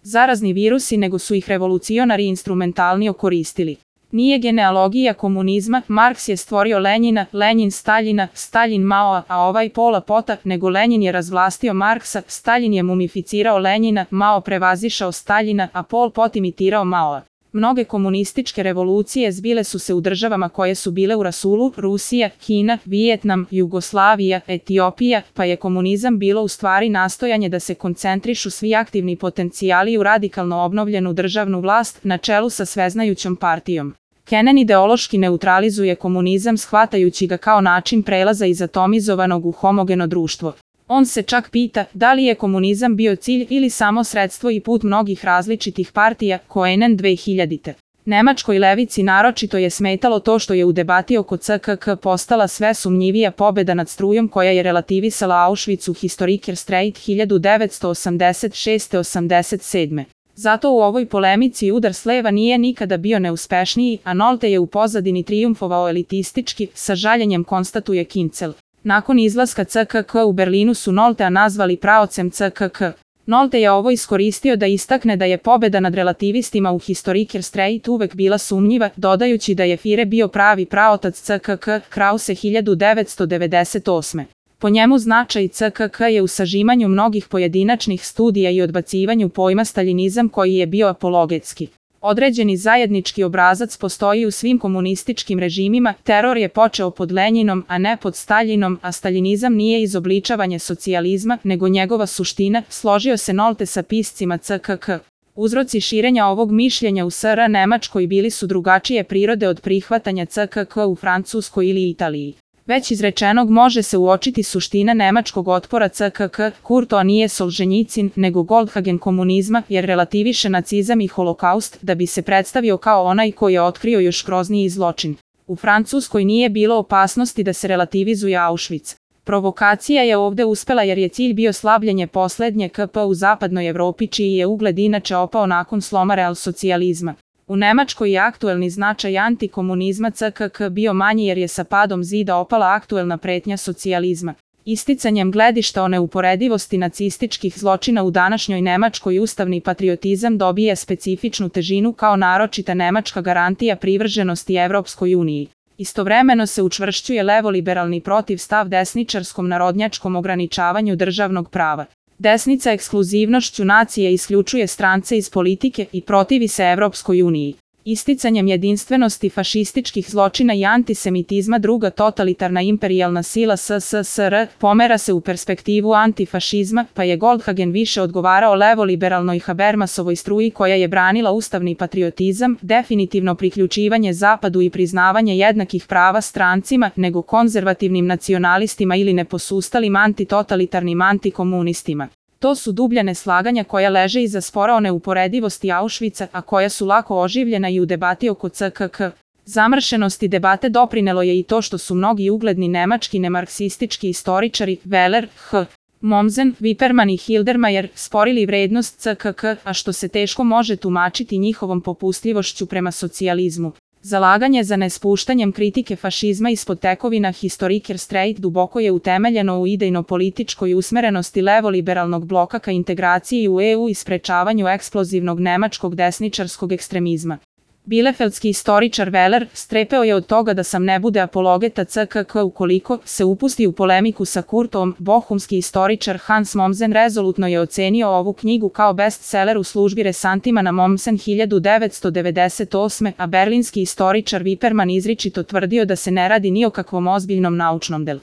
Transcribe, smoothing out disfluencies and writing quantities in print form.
zarazni virusi, nego su ih revolucionari instrumentalnije koristili. Nije genealogija komunizma, Marks je stvorio Lenjina, Lenjin Staljina, Staljin Maoa, a ovaj Pola Pota, nego Lenjin je razvlastio Marksa, Staljin je mumificirao Lenjina, Mao prevazišao Staljina, a Pol Pot imitirao Maoa. Mnoge komunističke revolucije zbile su se u državama koje su bile u rasulu, Rusija, Kina, Vijetnam, Jugoslavija, Etiopija, pa je komunizam bilo u stvari nastojanje da se koncentrišu svi aktivni potencijali u radikalno obnovljenu državnu vlast na čelu sa sveznajućom partijom. Kennan ideološki neutralizuje komunizam shvatajući ga kao način prelaza iz atomizovanog u homogeno društvo. On se čak pita da li je komunizam bio cilj ili samo sredstvo i put mnogih različitih partija, Koenen 2000. Nemačkoj levici naročito je smetalo to što je u debati oko CKK postala sve sumnjivija pobeda nad strujom koja je relativisala Auschwitz u Historiker Streit 1986-87. Zato u ovoj polemici udar s leva nije nikada bio neuspešniji, a Nolte je u pozadini trijumfovao elitistički, sa žaljenjem konstatuje Kincel. Nakon izlaska CKK u Berlinu su Noltea nazvali praocem CKK. Nolte je ovo iskoristio da istakne da je pobeda nad relativistima u Historiker Streit uvek bila sumnjiva, dodajući da je Führer bio pravi praotac CKK, Krause 1998. Po njemu značaj CKK je u sažimanju mnogih pojedinačnih studija i odbacivanju pojma staljinizam koji je bio apologetski. Određeni zajednički obrazac postoji u svim komunističkim režimima, teror je počeo pod Lenjinom, a ne pod Staljinom, a staljinizam nije izobličavanje socijalizma, nego njegova suština, složio se Nolte sa piscima CKK. Uzroci širenja ovog mišljenja u SR Nemačkoj bili su drugačije prirode od prihvatanja CKK u Francuskoj ili Italiji. Već izrečenog može se uočiti suština nemačkog otpora CKK, Kurto nije Solženjicin, nego Goldhagen komunizma, jer relativiše nacizam i holokaust da bi se predstavio kao onaj koji je otkrio još grozniji zločin. U Francuskoj nije bilo opasnosti da se relativizuje Auschwitz. Provokacija je ovde uspela jer je cilj bio slabljenje poslednje KP u zapadnoj Evropi čiji je ugled inače opao nakon sloma realsocijalizma. U Nemačkoj je aktuelni značaj antikomunizma CKK bio manji jer je sa padom zida opala aktuelna pretnja socijalizma. Isticanjem gledišta o neuporedivosti nacističkih zločina u današnjoj Nemačkoj ustavni patriotizam dobije specifičnu težinu kao naročita nemačka garantija privrženosti Evropskoj uniji. Istovremeno se učvršćuje levoliberalni protiv stav desničarskom narodnjačkom ograničavanju državnog prava. Desnica ekskluzivnošću nacije isključuje strance iz politike i protivi se Evropskoj uniji. Isticanjem jedinstvenosti fašističkih zločina i antisemitizma druga totalitarna imperijalna sila SSSR pomera se u perspektivu antifašizma, pa je Goldhagen više odgovarao levoliberalnoj Habermasovoj struji koja je branila ustavni patriotizam, definitivno priključivanje Zapadu i priznavanje jednakih prava strancima, nego konzervativnim nacionalistima ili neposustalim antitotalitarnim antikomunistima. To su dublja neslaganja koja leže iza spora o neuporedivosti Auschwitza, a koja su lako oživljena i u debati oko CKK. Zamršenosti debate doprinelo je i to što su mnogi ugledni nemački nemarksistički istoričari, Weller, H. Mommsen, Wippermann i Hildermayer, sporili vrednost CKK, a što se teško može tumačiti njihovom popustljivošću prema socijalizmu. Zalaganje za nespuštanjem kritike fašizma ispod tekovina Historiker Streit duboko je utemeljeno u idejno-političkoj usmerenosti levoliberalnog bloka ka integraciji u EU i sprečavanju eksplozivnog nemačkog desničarskog ekstremizma. Bielefeldski istoričar Weller strepeo je od toga da sam ne bude apologeta CKK ukoliko se upusti u polemiku sa Kurtom. Bohumski istoričar Hans Mommsen rezolutno je ocenio ovu knjigu kao bestseller u službi Resantimana Mommsen 1998. a berlinski istoričar Wippermann izričito tvrdio da se ne radi ni o kakvom ozbiljnom naučnom delu.